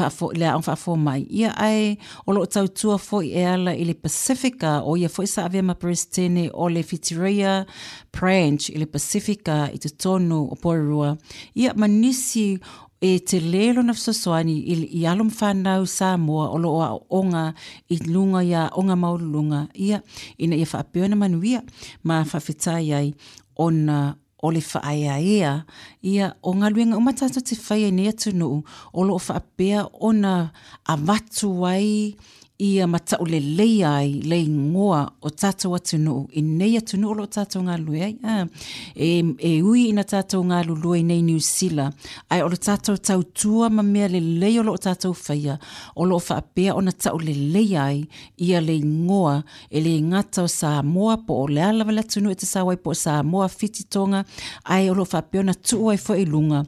faafo, le aoga faafomai ia ae o lo o tautua foi e ala i le Pasifika o ia foi sa avea ma Peresetene o le Whitireia Branch i le Pasifika i totonu o Porirua ia ma nisi e tele lona fesoasoani i, i alo ma fanau Samoa o lo o aooga i luga i aoga maualuluga ia ina ia faapea ona manuia ma faafetai ai ona o le faaeaea ia o galuega uma tatou te faia i nei atunuu o lo o faapea ona avatu ai ia ma tauleleia ai le igoa o tatou atunuu i nei atunuu o lo o tatou galulue ai. A, e, e ui ina tatou galulue i nei Niu Sila, ae o le tatou tautua ma mea lelei o lo o tatou faia, o lo o faapea ona tauleleia ai ia le igoa e le gata o Samoa po o le a lava le atunuu e te sau ai po o Samoa, Fiti, Tonga, ae o lo o faapea ona tuu ai foi i luga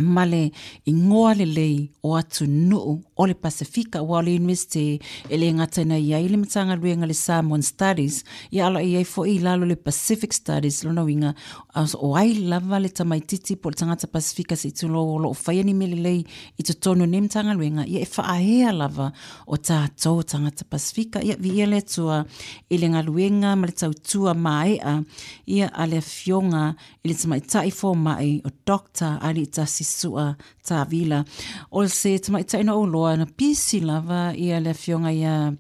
ma le igoa lelei o atunuu o o le Pasifika ua o le University e le gata ina i ai le Matagaluega le Samoan Studies, ia ala i ai fo'i i lalo le Pacific Studies. Lona uiga o ai lava le tamaititi po o le tagata Pasifika se i tulou o loo faia ni mea lelei i totonu o nei Matagaluega, ia e faaea lava o tatou tagata Pasifika. Ia viia le Atua i le galuega ma le tautua mae'a ia a le afioga i le tamaitai foma'i o Doctor Aliitasi Su'a Tavila. O se tamaitai na ou loa na pisi lava ia le afioga ia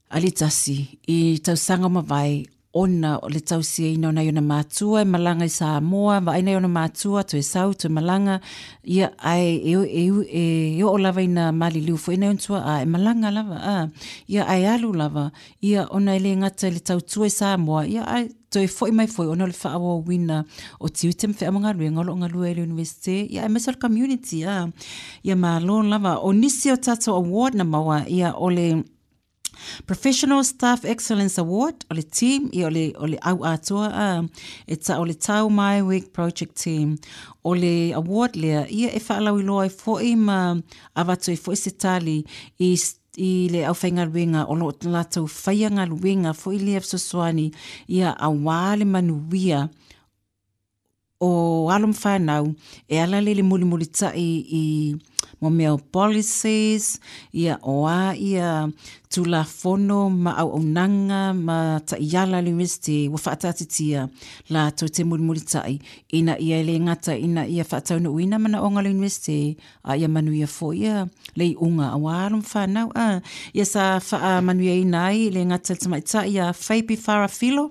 Alitasi i tausaga o mavae ona o le tausiaina o nai ona matua e malaga i Samoa, vaai nai ona matua toe sau toe malaga, ia ae e, e, e, e oo lava ina maliliu foi nai ona tuaa e malaga lava a ia ae alu lava ia ona e le gata i le tautua i Samoa, ia ae toe fo'i mai foi ona o le faaauauina o tiute ma feau ma galuega o loo galue ai le University, ia aemaise o le community a ia malo lava. O nisi o tatou award na maua, ia o le Professional Staff Excellence Award, o le team, ia o le, o le au atoa a, e ta o le Tau Mai Week Project Team. O le award lea, ia e faalauiloa ai fo'i ma avatu ai fo'i se tali i i le aufaigaluega o loo latou faia galuega fo'i lea fesoasoani ia auā le manuia o alo ma fanau e ala lea i le mulimulita'i i mo mea o policies, ia o a ia tulafono ma auaunaga ma ta'iala a le University ua fa'ataatitia latou te mulimulita'i ina ia e lē gata ina ia fa'ataunu'uina manaʻoga o le University a ia manuia fo'i ia le iʻuga auā alo ma fanau a ia sa fa'amanuiaina ai le gata le tamaita'i ia Feipi Farafilo.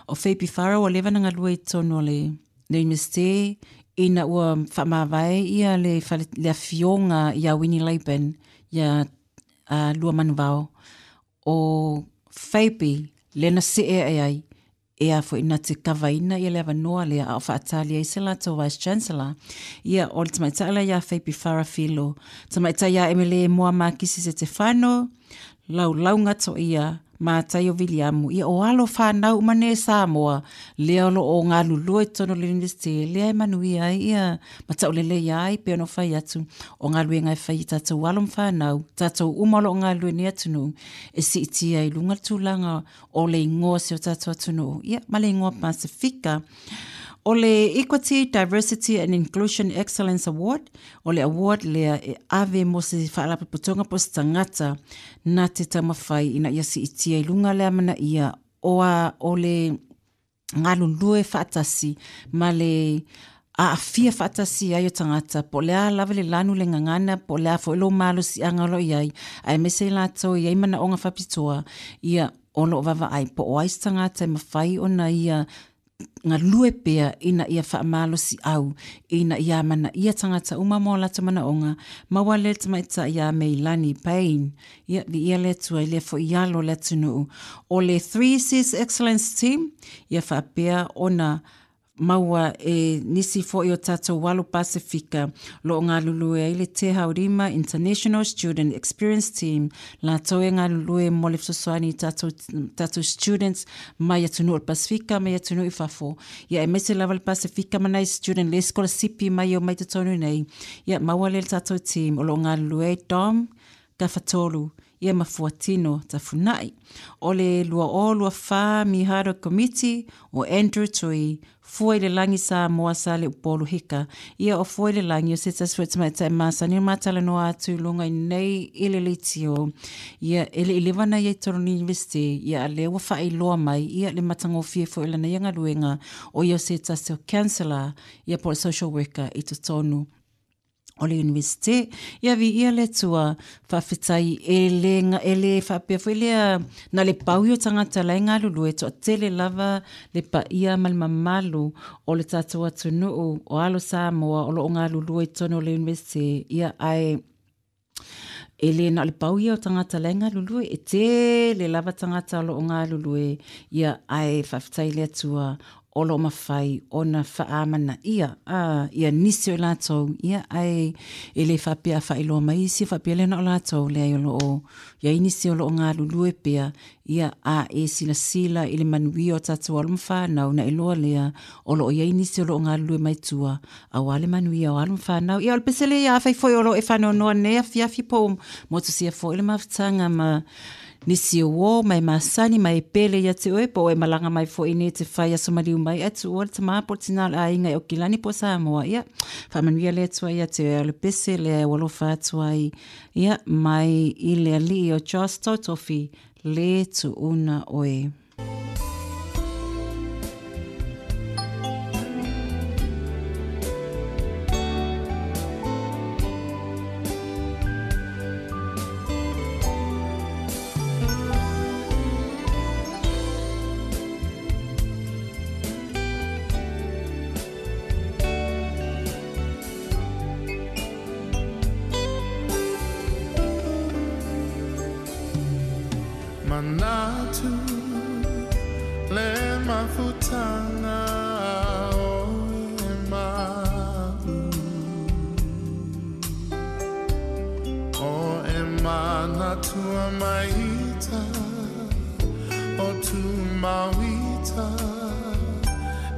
O Feipi Fara ua leva na galue i totonu o le le University ina ua faamavae ia le fale, le afioga ia Winnie Laban ia uh, lua manuvao o Feipi le na see ae ai e a fo'i na te kavaina ia le avanoa lea a o faatali ai se latou vice chancellor. Ia o le tamaitai la ia Feipi Farafilo, tamaitai ia Emele Moa Makisi Setefano, Laulauga Toia, Mataio Viliamu, ia o alo fanau uma nei Samoa lea o loo galulue i totonu o le University lea e manuia ai ia ma taʻulelei ai pe ona fai atu o galuega e fai i tatou alo ma fanau tatou uma o loo galulue nei atunuu e siitia i luga le tulaga o le igoa si o tatou atunuu ia ma le igoa Pasifika. O le Equity, Diversity and Inclusion Excellence Award, o le award lea e ave mo se faalapotopotoga po o se tagata na te taumafai ina ia siitia i luga le amanaia o a o le galulue faatasi ma le aafia faatasi ai o tagata po o le a lava le lanu le gagana po o le a fo'i lou malosiaga o loo i ai aemaise i latou i ai manaoga faapitoa ia o loo vaavaai po o ai se tagata e mafai ona ia galue pea ina ia faamalosi au ina ia amanaia tagata uma ma o latou manaoga. Maua le tamaitai ia Meilani Payne, ia viia le Atua i lea fo'i alo o le atunuu. O le Three Cs Excellence Team, ia faapea ona maua e nisi fo'i o tatou alo Pasifika loo galulue ai le Te Haurima International Student Experience Team, latou e galulue mo le fesoasoani i tatou, tatou students mai atunuu o le Pasifika mai atunuu i fafo, ia aemaise lava le Pasifika ma nai student le sikolasipi mai o mai totonu nei. Ia maua le le tatou team o loo galulue ai Dom Gafatolu ia ma Fuatino Tafuna'i. O le lua o lua whā Miharo Committee o Andrew Tui, Fua i le Lagi Samoa sa le Upolu Hika. Ia o Fua i le Lagi o se tasi fo'i tamaitai masani o matalanoa atu i luga i nei i le leitio. Ia e le i leva na ia i totonu University, ia a lea ua faailoa mai, ia le matagofie foi lana ia galuega o ia o se tasi o counselor, ia po o le social worker i totonu o le University. Ia viia le Atua, faafetai e le, e le faapea foi lea na le pau i o tagata la e galulue toatele lava le paia ma le mamalu o le tatou atunuu o alo Samoa o loo galulue i totonu o le University. Ia ae e le na o le pau ia o tagata la e galulue, e tele lava tagata o loo galulue, ia ae faafetai le Atua o lo mawhai o na whaamana ia, a, ia nisi o lātou, ia ai e le whapea whailoa mai isi whapea lena o lātou, lea o lo o, ia inisi o lo o ngā lulue pea, ia a e sila sila i le manuia o tātou alo mwhānau na iloa lea, o lo o ia inisi o lo o ngā lulue mai tua, a wale manuia o alo mwhānau. Ia o le pesele ia awhai foi o lo e whanonoa nei a fiafi po, motu sia foi le mawhitanga ma nisi o mai masani mai pele ia te oe po e malanga mai fo ine te whai aso mariu mai atu o le tama po tina a inga o kilani po Samoa ia whamanuia le atua ia te oe o le pese le walofa atua i ia mai i le ali o Josh Tautofi le tuuna oe. Manatu le mafutanga o e mau o e manatua maita o tu mauita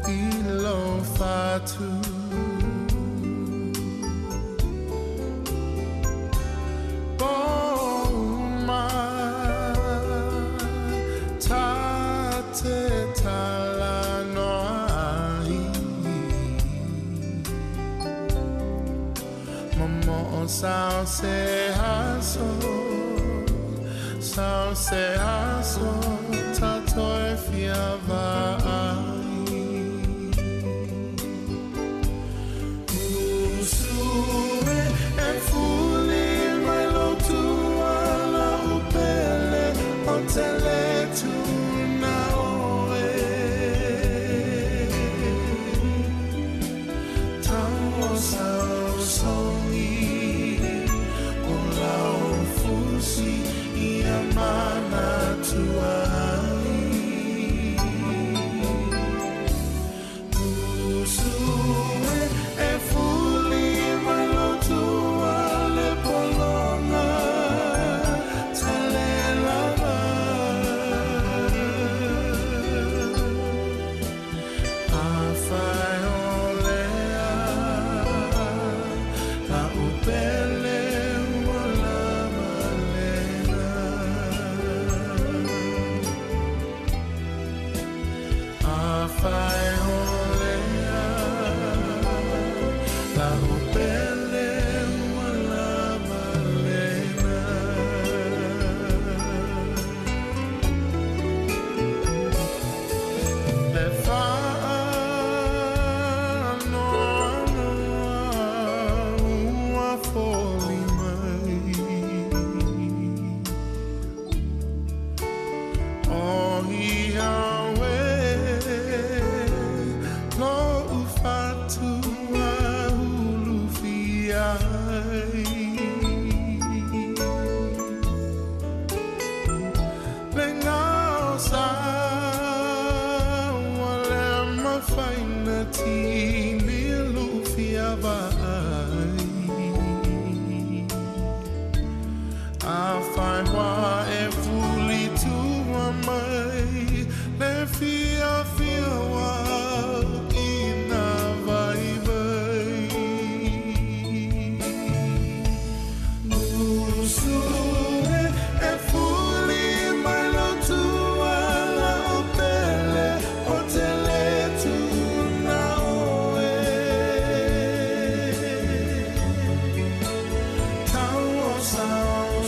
i lo fatu. Sao se aso, sao se aso, tato e fia vai. Usue e fuli mai lo tua la upele o tele tu na oe. Tau sao songi.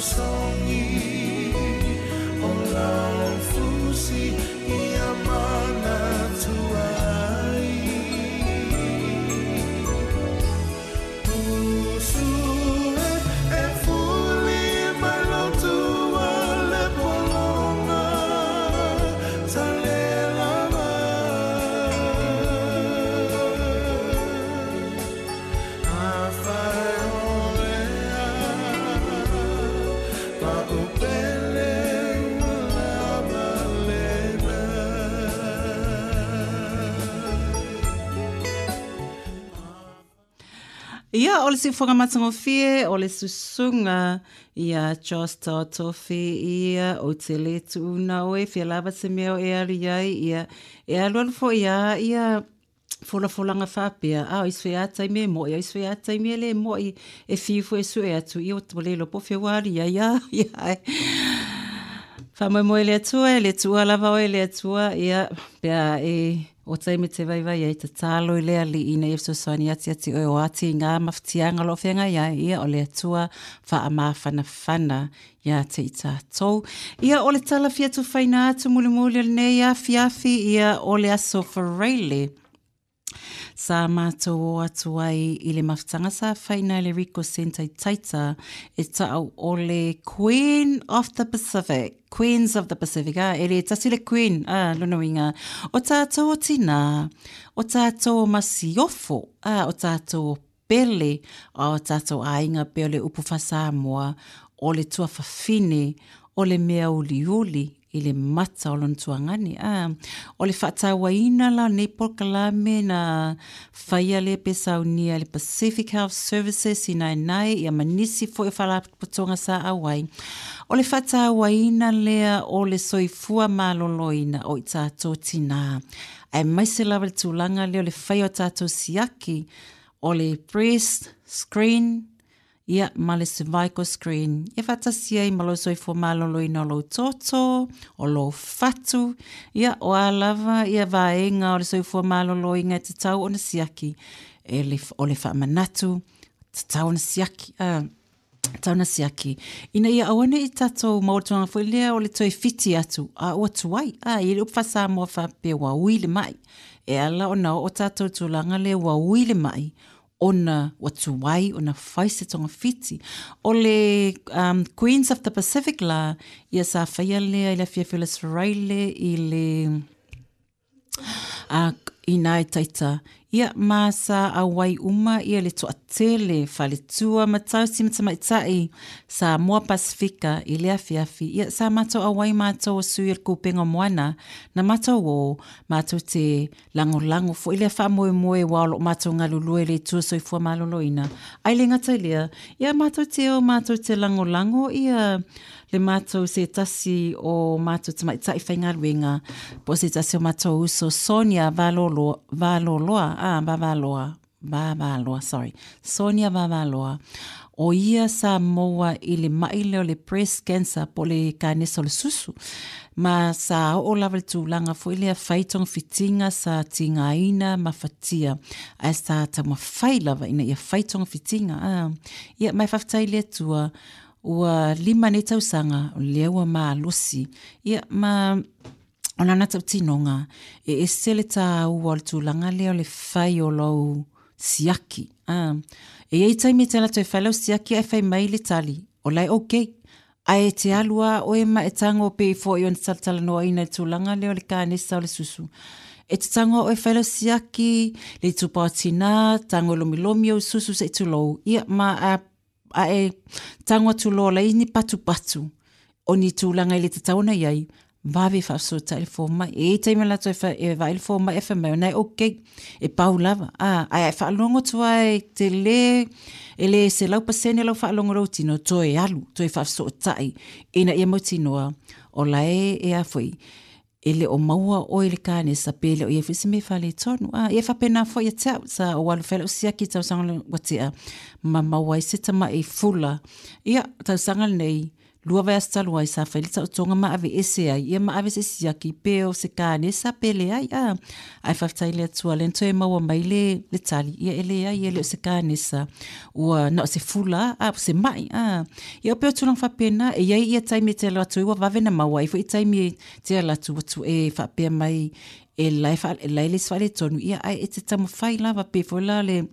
Songi, o la fusi, i amana. Ia, o le siufoga matagofie, o le susuga, ia Josh Totofi, ia, o te le tuuna oe, fia lava se mea o e alu iai, ia, e alu alu foi a, ia, folafolanga faapea, a o isi foi a taimi e mo'i, o isi foi a taimi e le mo'i, e fiu foi e sue atu, ia ua le iloa po o fea ua alu iai a, ia, ai. Faamoemoe le Atua, e le tuua lava oe le Atua, ia, pe a e o taimi te vaivai ai tatalo i le Alii ina ia fesoasoani ati ati oe o ati i ngā mafatiaga o lo o feagai ai, ia o le Atua faamafanafana ia te i tātou. Ia o le tala fia tufaina atu mulimuli o lenei afiafi, ia o le aso Faraile. Sa mātou o atu ai i le mafutaga sa faina i le Rico Centre i Taita e ta'au o le Queen of the Pacific. Queens of the Pacific, ah, e le tasi le Queen, ah, lona uiga. O tātou o tinā, o tātou o masiofo, ah, o tātou o pele, a o tātou aiga pei o le upu faa-Samoa, o le tuafafine, o le mea uliuli i le mata o lona tuagane. Ah, o le faatauaina la o lenei polokalame na faia lea pe saunia e le Pacific Health Services i Naenae ia ma nisi foi o faalapotopotoga sa auai. O le faatauaina lea o le soifua maloloina o i tātou tinā. Aemaise lava le tulaga lea o le faia o tātou siaki o le breast screen, ia, ma le cervical screen. Ia faatasi ai ma lou soifua maloloina o lou toto, o lou fatu, ia, o a lava ia vaega o le soifua maloloina e tatau ona siaki. E le, o le faamanatu, tatau ona siaki, ah, tatau ona siaki. Ina ia aua ne'i tatou maua le tulaga foi lea o le toe fiti atu, a ua tuai. Ah, e i ai le upu faa-Samoa faapea ua ui le ma'i. E ala ona oo tatou i le tulaga lea ua ui le ma'i, ona ua tuai ona fai se togafiti. O le um, Queens of the Pacific la, ia sa faia lea i le afiafi o le Aso Faraile i le uh, i nā e Taita. Ia, ma sa auai uma ia le toatele, faletua ma tausi ma tamaitai, Samoa Pasifika i le afiafi. Ia, sa matou auai matou o sui o le Kupenga o Moana, na matou o, matou te lagolago foi lea faamoemoe aua o lo o matou galulue i le Itu o Soifua Maloloina. Ae le gata i lea, ia matou te o matou te lagolago ia le matou se tasi o matou tamaitai faigaluega, po o se tasi o matou uso Sonia Valoloa, Valoloa, ah, Vavaloa, Vavaloa, sorry, Sonia Vavaloa, o ia sa maua i le ma'i lea o le breast cancer po o le kanesa o le susu. Ma sa oo lava i le tulaga foi lea fai togafitiga sa tigaina ma fatia, ae sa taumafai lava ina ia fai togafitiga. Ah. Ia, ma e faafetai i le Atua, ua lima nei tausaga, o lea ua malosi. Ia, ma o lana tautinoga, e ese le tāua o le tulaga lea o le fai o lou siaki. Ah. E i ai taimi e te alu atu e fai lau siaki ae fai mai le tali, o la e okay. Ae e te alu lava oe ma e tago pei foi ona talatalanoaina i le tulaga lea o le kanesa o le susu. E te tago lava oe e fai lau siaki, le itupa o tinā, tago e lomilomi ou susu se'i tulou, ia ma a, a e tago atu loa la i ai ni patupatu o ni tulaga e le tatau ona i ai, vave faafesootai le fomai. E i ai taimi o latou e fa, e vaai le fomai ae fai mai, o na e okay, e pau lava. Ah, ae a e faalogo atu lava e tele, e le selau pasene lau faalogo i lou tino, toe alu, toe faafesootai, ina ia mautinoa, o la e, e a foi, e le o maua oe i le kanesa pe le o i ai foi se mea faaletonu. Ah, ia e faapena foi ia te au, sa ou alu fai lau siaki i tausaga ua tea, ma maua ai se tama'i fula. Ia, tausaga lenei, lua vaiaso talu ai sa fai le taotoga ma aveese ai, ia ma ave se siaki pe o se kanesa pe leai. Ah, ae faafetai i le Atua lea na toe maua mai le, le tali, ia e leai e le o se kanesa, ua na o se fula, ah, se ma'i. Ah, ia o pei o tulaga faapena, e i ai ia taimi e te alu atu ai ua vave ona maua ai foi taimi e te alu atu ua tu e faapea mai e la e faa, e la e le isi faaletonu, ia ae e te taumafai lava pei foi la le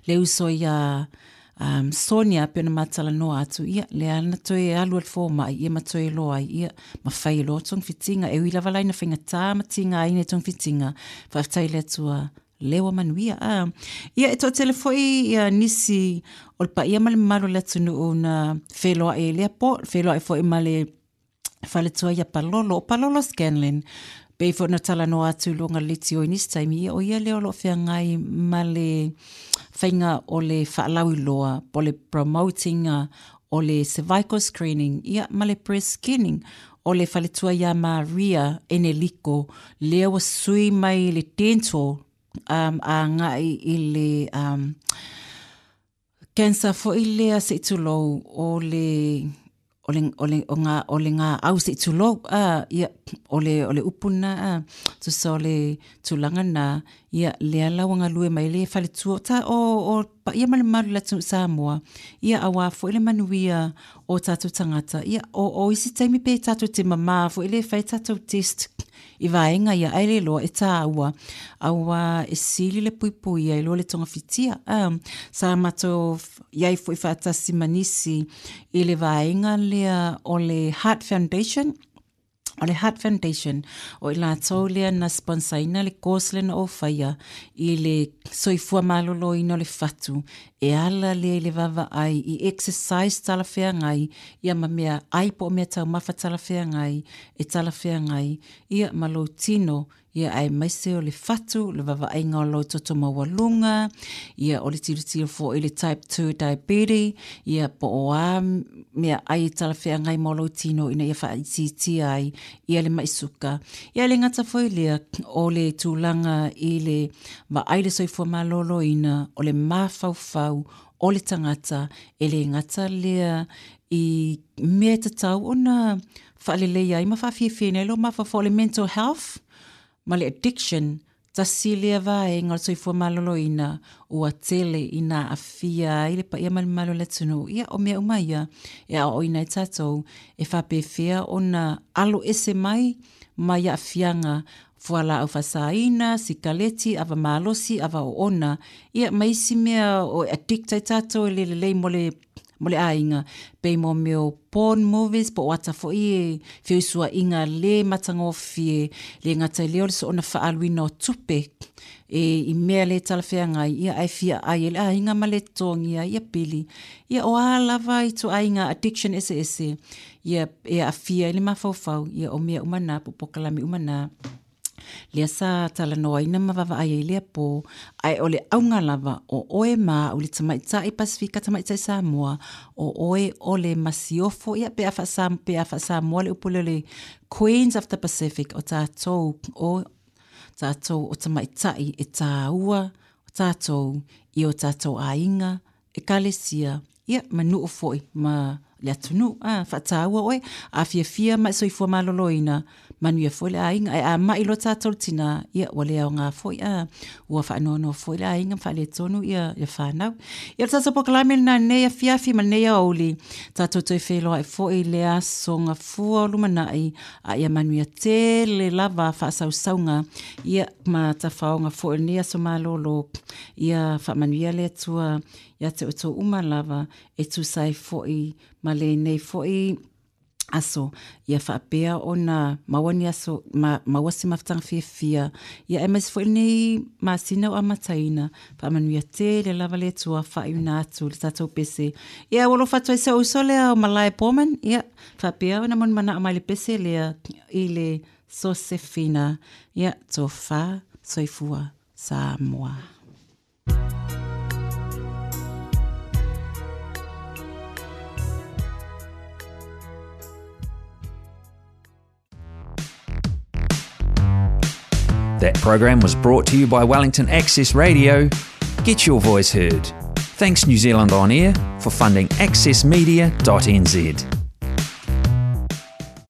le uso ia um, Sonia pei ona matalanoa atu, ia lea na toe alu i le fomai, ia ma toe iloa ai, ia ma fai loa togafitiga, e ui lava la ina faigata ma tigaina i togafitiga, faafetai i le Atua lea ua manuia. Ah, ia e toatele foi ia nisi o le paia ma le mamalu o le atunuu na feloai i lea po, feloai foi ma le faletua ia Palolo, o Palolo Scanlon, Pei foi ona talanoa atu i luga o le leitio i nisi taimi, ia o ia lea o lo o feagai ma le faiga o le faalauiloa po o le promoting o le cervical screening, ia ma le breast screening o le faletua ia Maria Eneliko, lea ua sui mai le dental um, agai i le um, cancer foi lea se i tulou o le o le o le o ngā o le ngā au se i tulou a ia o le o le upu na a tusa o le tulaga na ia lea la ua galue mai le faletua ta o o paia ma le mamalu o le atunuu Samoa ia auā foi le manuia o tatou tagata ia o o isi taimi pe tatou te mamā foi le fai tatou test i vaega ia ae le iloa e tāua auā e sili le puipuia i lo le togafitia a sa matou iai foi faatasi ma nisi i le vaega lea o le Heart Foundation. O le Heart Foundation, o i latou lea na sponsaina le course lea na ou faia i le soifua maloloina o le fatu, e ala lea i le vaavaai i exercise talafeagai, ia ma mea ai po o mea taumafa talafeagai, e talafeagai, ia ma lou tino, ia aemaise o le fatu, le vaavaaiga o lou toto maualuga, ia o le tilotilo foi i le type two diabetes, ia po o a mea ai e talafeagai mo lou tino ina ia faaitiitia ai ia le mai suka. Ia le gata foi lea o le tulaga i le vaai le soifua maloloina o le mafaufau o le tagata e le gata lea i mea e tatau ona faaleleia ai ma faafiafiaina ai lou mafaufau o le mental health ma le addiction, tasi lea vaega o le soifua maloloina ua tele ina aafia ai le paia ma le mamalu o le atunuu. Ia o mea uma ia e aoaoina ai tatou e faapefea ona alo ese mai mai aafiaga fualaau faasaina, sikaleti, ava malosi, ava oona, ia ma isi mea o addict ai tatou e le lelei mo le mo le aiga, pei mo mea o porn movies po o ata foi e feusuaiga le matagofie, le gata i lea o le soona faaaluina o tupe e i mea le talafeagai, ia ae fia ai e le aiga ma le totogia ia pili. Ia o a lava ituaiga addiction eseese, ia e aafia ai le mafaufau, ia o mea uma na po o polokalame uma na. Lea sa talanoaina ma vaavaai ai lea pō, ae o le auga lava o oe ma au le tamaitai Pasifika, tamaitai Samoa, o oe o le masiofo, ia pe a faasa, pe a faasamoa le upu lea o le Queens of the Pacific, o tatou o tatou o tamaitai e tāua tatou i o tatou aiga, ekalesia, ia ma nuu foi ma le atunuu. A faataua oe, a fiafia ma e soifua maloloina, manuia foi le aiga, ae a mai loa tatou le tinā, ia ua le aoga foi, a ua faanoanoa foi le aiga ma faaletonu ia le fanau. Ia o le tatou polokalame lena i lenei afiafi ma lenei aoauli, tatou toe feiloai foi i le aso Gafua o lumanai, a ia manuia tele lava faasausauga, ia ma tafaoga foi o lenei aso malolo, ia faamanuia le Atua ia te outou uma lava e tusa ai foi ma lenei foi aso, ia faapea ona maua ni aso, ma, maua se mafutaga fiafia, ia aemaise foi lenei masina o amataina, faamanuia tele lava le Atua faaiuna atu le tatou pese. Ia ua alofa atu ai si ou uso lea o Malae Bowman, ia faapea ona molimana'a mai le pese lea i le Sosefina, ia tofa soifua Samoa. That program was brought to you by Wellington Access Radio. Get your voice heard. Thanks New Zealand On Air for funding access media dot n z.